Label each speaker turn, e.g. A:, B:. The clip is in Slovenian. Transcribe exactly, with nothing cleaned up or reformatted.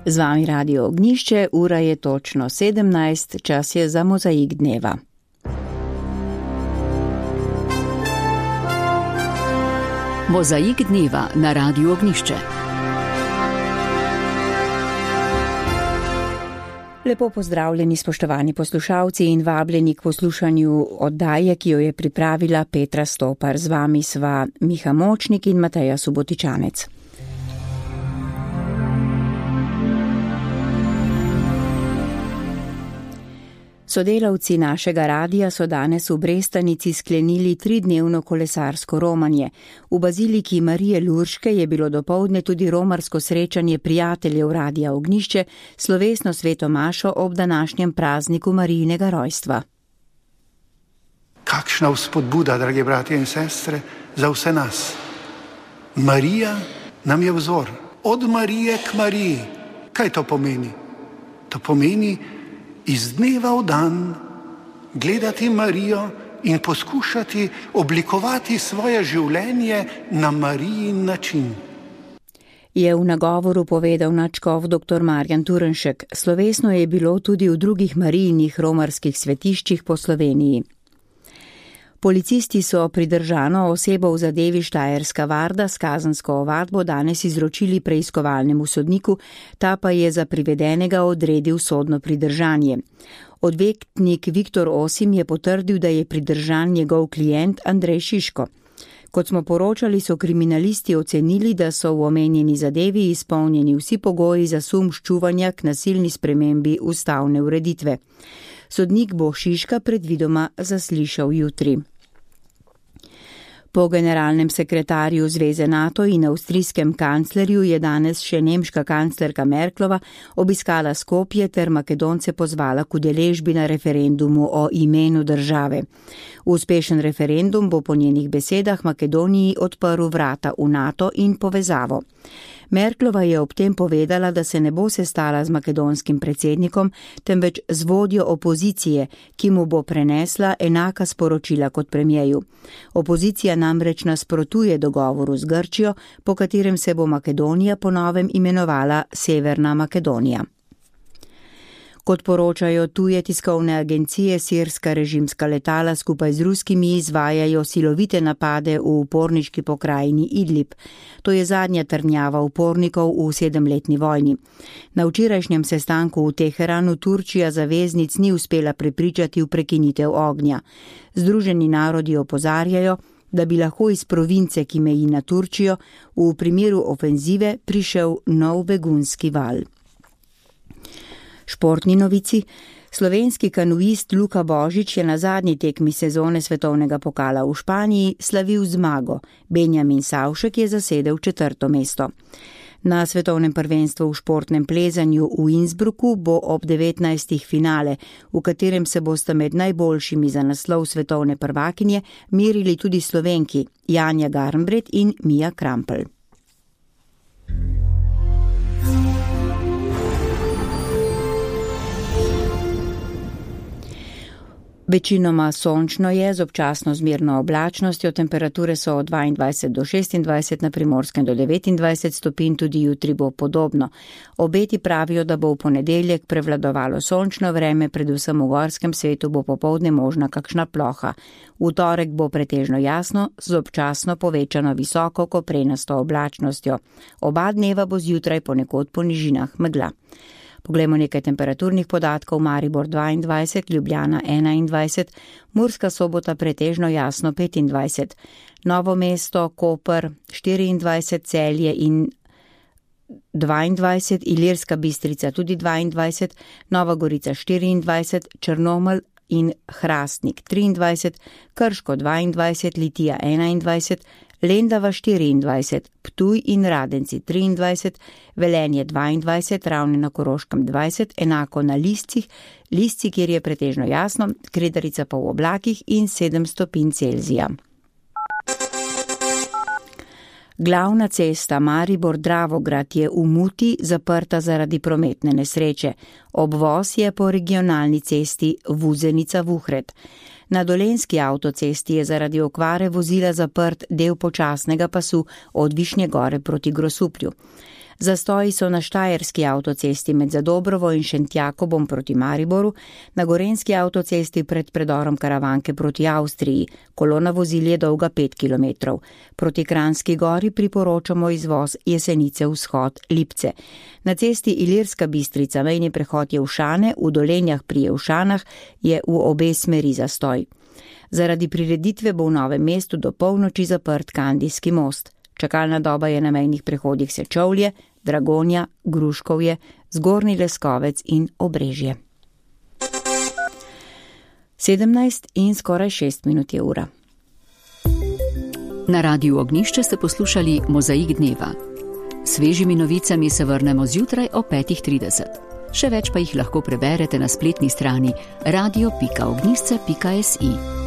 A: Z vami Radio Ognjišče, ura je točno sedemnajst, čas je za mozaik dneva. Mozaik dneva na Radiu Ognjišče. Lepo pozdravljeni, spoštovani poslušalci, in vabljeni k poslušanju oddaje, ki jo je pripravila Petra Stopar. Z vami sva Miha Močnik in Mateja Subotičanec. Sodelavci našega radija so danes v Brestanici sklenili tridnevno kolesarsko romanje. V baziliki Marije Lurške je bilo dopoldne tudi romarsko srečanje prijateljev Radia Ognjišče, slovesno sveto mašo ob današnjem prazniku Marijinega rojstva.
B: Kakšna vzpodbuda, dragi bratje in sestre, za vse nas. Marija nam je vzor. Od Marije k Mariji. Kaj to pomeni? To pomeni iz dneva v dan gledati Marijo in poskušati oblikovati svoje življenje na Marijin način.
A: Je v nagovoru povedal nadškof dr. Marjan Turnšek. Slovesno je bilo tudi v drugih Marijinih romarskih svetiščih po Sloveniji. Policisti so pridržano osebo v zadevi Štajerska Varda s kazensko ovadbo danes izročili preiskovalnemu sodniku, ta pa je za privedenega odredil sodno pridržanje. Odvetnik Viktor Osim je potrdil, da je pridržan njegov klient Andrej Šiško. Kot smo poročali, so kriminalisti ocenili, da so v omenjeni zadevi izpolnjeni vsi pogoji za sum ščuvanja k nasilni spremembi ustavne ureditve. Sodnik bo Šiška predvidoma zaslišal jutri. Po generalnem sekretarju Zveze NATO in avstrijskem kanclerju je danes še nemška kanclerka Merklova obiskala Skopje ter Makedonce pozvala k udeležbi na referendumu o imenu države. Uspešen referendum bo po njenih besedah Makedoniji odprl vrata v NATO in povezavo. Merklova je ob tem povedala, da se ne bo sestala z makedonskim predsednikom, temveč z vodjo opozicije, ki mu bo prenesla enaka sporočila kot premijeju. Opozicija namreč nasprotuje dogovoru z Grčijo, po katerem se bo Makedonija po novem imenovala Severna Makedonija. Kot poročajo tuje tiskovne agencije, sirska režimska letala skupaj z ruskimi izvajajo silovite napade v uporniški pokrajini Idlib. To je zadnja trdnjava upornikov v sedemletni vojni. Na včerajšnjem sestanku v Teheranu Turčija zaveznic ni uspela prepričati v prekinitev ognja. Združeni narodi opozarjajo, da bi lahko iz province, ki meji na Turčijo, v primeru ofenzive prišel nov begunski val. Športni novici. Slovenski kanuist Luka Božič je na zadnji tekmi sezone svetovnega pokala v Španiji slavil zmago. Benjamin Savšek je zasedel četrto mesto. Na svetovnem prvenstvu v športnem plezanju v Innsbrucku bo ob devetnajstih finale, v katerem se bosta med najboljšimi za naslov svetovne prvakinje merili tudi Slovenki Janja Garnbret in Mija Krampelj. Večinoma sončno je, z občasno zmerno oblačnostjo, temperature so od dvaindvajset do šestindvajset, na Primorskem do devetindvajset stopinj, tudi jutri bo podobno. Obeti pravijo, da bo v ponedeljek prevladovalo sončno vreme, predvsem v gorskem svetu bo popoldne možna kakšna ploha. V torek bo pretežno jasno, z občasno povečano visoko koprenasto oblačnostjo. Oba dneva bo zjutraj ponekod po nižinah megla. Poglejmo nekaj temperaturnih podatkov. Maribor dvaindvajset, Ljubljana enaindvajset, Murska Sobota pretežno jasno petindvajset, Novo mesto, Koper štiriindvajset, Celje in dvaindvajset, Ilirska Bistrica tudi dvaindvajset, Nova Gorica štiriindvajset, Črnomelj in Hrastnik triindvajset, Krško dvaindvajset, Litija enaindvajset, Lendava štiriindvajset, Ptuj in Radenci triindvajset, Velenje dvaindvajset, Ravne na Koroškem dvajset, enako na Liscih, Lisci, kjer je pretežno jasno, Kredarica pa v oblakih in sedem stopinj Celzija. Glavna cesta Maribor-Dravograd je v Muti zaprta zaradi prometne nesreče. Obvoz je po regionalni cesti Vuzenica-Vuhred. Na Dolenjski avtocesti je zaradi okvare vozila zaprt del počasnega pasu od Višnje Gore proti Grosuplju. Zastoji so na Štajerski avtocesti med Zadobrovo in Šentjakobom proti Mariboru, na Gorenjski avtocesti pred predorom Karavanke proti Avstriji, kolona vozil je dolga pet kilometrov. Proti Kranjski gori priporočamo izvoz Jesenice vzhod Lipce. Na cesti Ilirska Bistrica mejni prehod Jevšane, v Dolenjah pri Jevšanah je v obe smeri zastoj. Zaradi prireditve bo v Novem mestu do polnoči zaprt Kandijski most. Čakalna doba je na mejnih prehodih Sečovlje, Dragonja, Gruškovje, Zgornji Leskovec in Obrežje. sedemnajst in skoraj šest minut je ura.
C: Na Radiu Ognjišče ste poslušali Mozaik dneva. Svežimi novicami se vrnemo zjutraj o petih trideset. Še več pa jih lahko preberete na spletni strani radio pika ognjišče pika si.